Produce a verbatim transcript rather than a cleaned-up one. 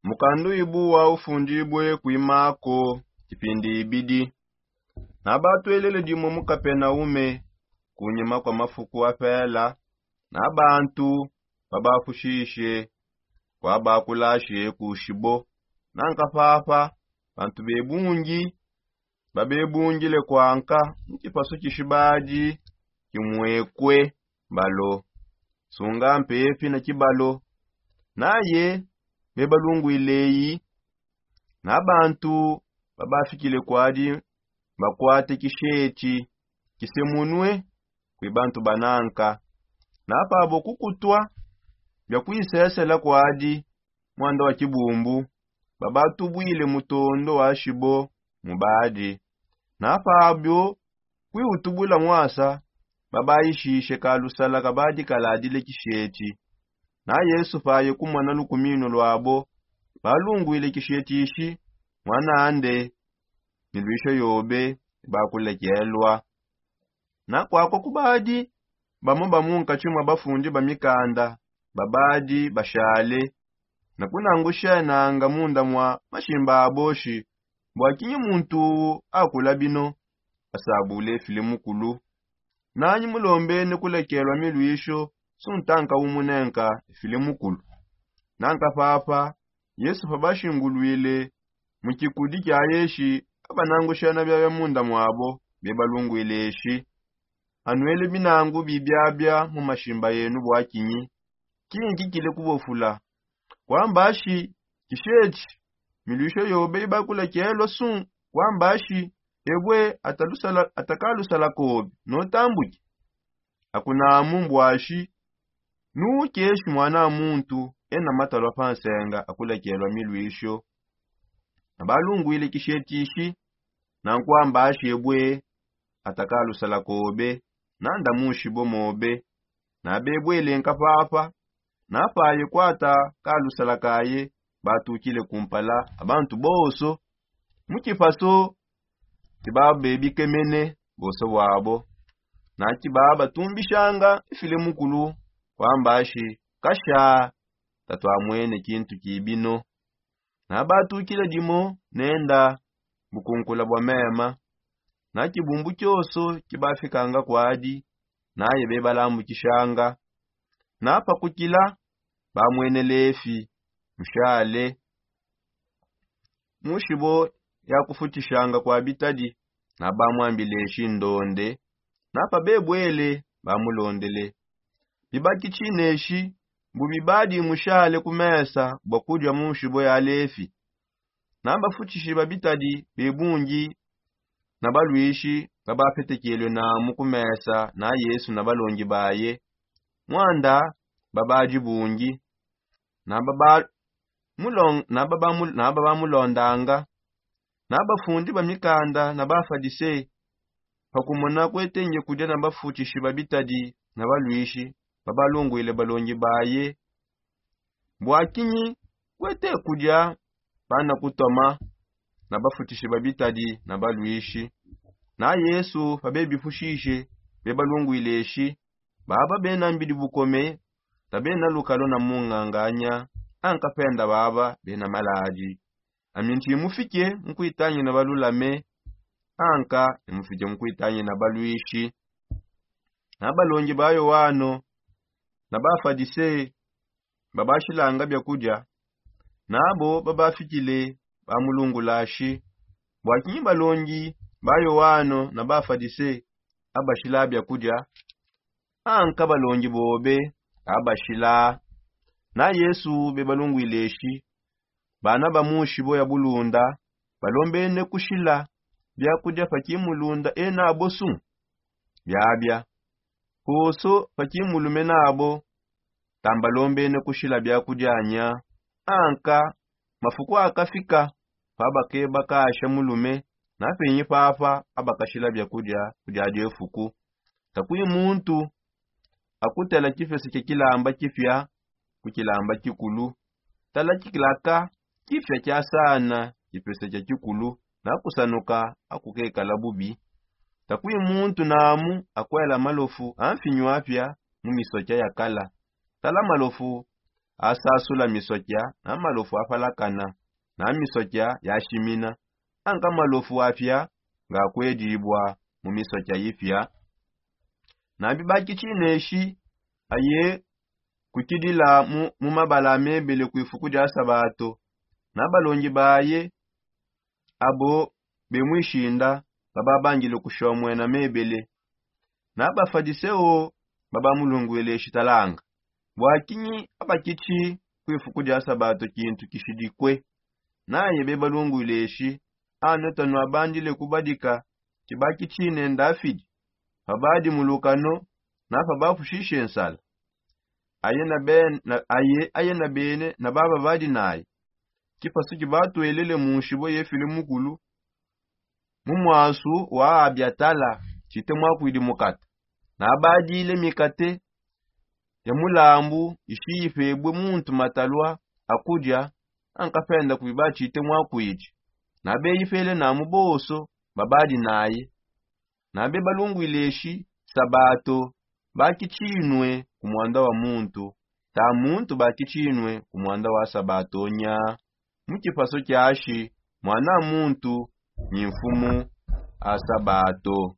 Mukandu ibu wa ufundibue kuimako kipindi ibidi. Nabatwelele dimue mu kapenaume kunyima kwa mafuku apela, na bantu babafushishe kwabakulashe kushibo. Nanka papa bantu bebungi babebungile kwanka mu kipasu kishibadi kimwekwe balo sunga mpepi na kibalo. Naye bebalungwileyi na bantu babafikile kwadi bakwate kisheti kisemunue kwi bantu bananka. Napabo kukutwa bia kuisesela kwadi mwanda wa kibumbu babatubwile mutondo wa shibo mubadi. Napabio kwiutubula mwasa babaishishe kalusala kabadikaladile kisheti. Na yesu paye kumona lukumino lwabo balungwile kisheti ishi mwanande ni lwisho yobe bakulekelwa. Na kwakwa kubadi bamo bamunkatshi mwa bafundi ba mikanda babadi bashale na kunangushenanga munda mwa mashimba aboshi bwakinyi muntu uwu akula bino asabule fili mukulu? Nanyi mulombene kulekelwa milwisho suntanka umunenka fili mukulu? Nanka papa yesu pabashingulwile mu kikudi kia yeshi abanangushana biabia munda mwabo bebalungwile eshi anwele binangu bibiabia mu mashimba yenu bwakinyi? Kinki kile kubofula kwamba ashi kishechi milwisho yobe ibakulekelwa sun kwamba ashi ebwe atakalusala kobe notambuki? Akunamu mbwashi nukeshi mwana muntu ena matalwa pansenga akulekelwa milwisho. Nabalungwile kishetishi nankwamba ashi ebwe atakalusala kobe nanda mushibo mobe. Nabebwele nkapapa napaye kwata kalusala kaye batukile kumpala abantu bonso mu kipaso kibabebikemene bonso bwabo. Na kibabatumbishanga ifile mukulu kwamba ashi kasha tatwamwene kintu kibino. Nabatukile dimo nenda bukunkula bwa mema na kibumbu kioso kibafikanga kwadi naye bebalambukishanga. Napakukila bamwene lefi mushale mushibo ya kufutishanga kwa bitadi nabamwambileshi ndonde. Napabebwele bamulondele bibaki tshineshi mbu bibadi mushale ku mesa bua kudia mu nshibo ya lefi. Na bafutishi ba bitadi bebungi na balwishi babapetekelwe namu ku mesa na yesu na balongi baye mwanda babadi bungi na babamulondanga. Na bafundi ba mikanda na bafadise pakumona kuetenge kudia na bafutishi ba bitadi na balwishi babalungwile balongi baye bwakinyi kuete kudia bana kutoma na bafutishi ba bitadi na balwishi? Na yesu pabebifushishe bebalungwile eshi baba bena mbidi bukome tabena lukalo na munganganya. Anka penda baba bena maladi ami nti mufike nkuitangina balulame anka ni mufike nkuitangina balwishi. Na balongi ba yoano na bafadise babashilanga biakudia nabo babafikile bamulungulashi bwakinyi balongi ba yoano na bafadise abashila biakudia anka balongi bobe abashila? Na yesu bebalungwile eshi bana ba mushibo ya bulunda balombene kushila biakudia pa kimulunda enabo su? Biabia konso pa kimulume nabo tambalombene kushila biakudia nya anka mafuku akafika pabakeba kasha mulume na penyi papa abakashila biakudia kudia diefuku. Takui muntu akutela kipese kia kilamba kipia ku kilamba kikulu tala kilaka kipia kiasana kipese kia kikulu na kusanuka akukekala bubi. Takui muntu namu akuela malofu a mfinyu apia mu misokia ya kala tala malofu asasula misokia na malofu apalakana na misokia yashimina, anka malofu apia ngakuedibua mu misokia ipia. Na bibakitshi neshi aye kukidila mu mabala a mebele ku ifuku dia sabato, na balongi baye abo bemwishinda bababangile kushomwena mebele. Na bafadiseo babamulungwile shitalanga, bwakinyi abakitshi ku ifuku dia sabato kintu kishidikwe? Naye bebalungwile shi, ano tanu abandile kubadika tshibakitshine ndafidi pabadi mulukano na pabapushishe nsala. Aye na bene na baba badi naye. Kipasu kibatwelele mu nshibo yefile mukulu mu mwasu wa abiatala tshite mwakwidi mukata, na badile mikate ya mulambu ishiyipebue muntu matalua akudia. Ankapenda kuiba tshite mwakwidi na beyipele namu bonso babadi naye. Na bebalungwileshi sabato bakitshinue ku mwanda wa muntu, ta muntu bakitshinue ku mwanda wa sabato nya. Mu kipaso kiashi mwana a muntu ni mfumu a sabato.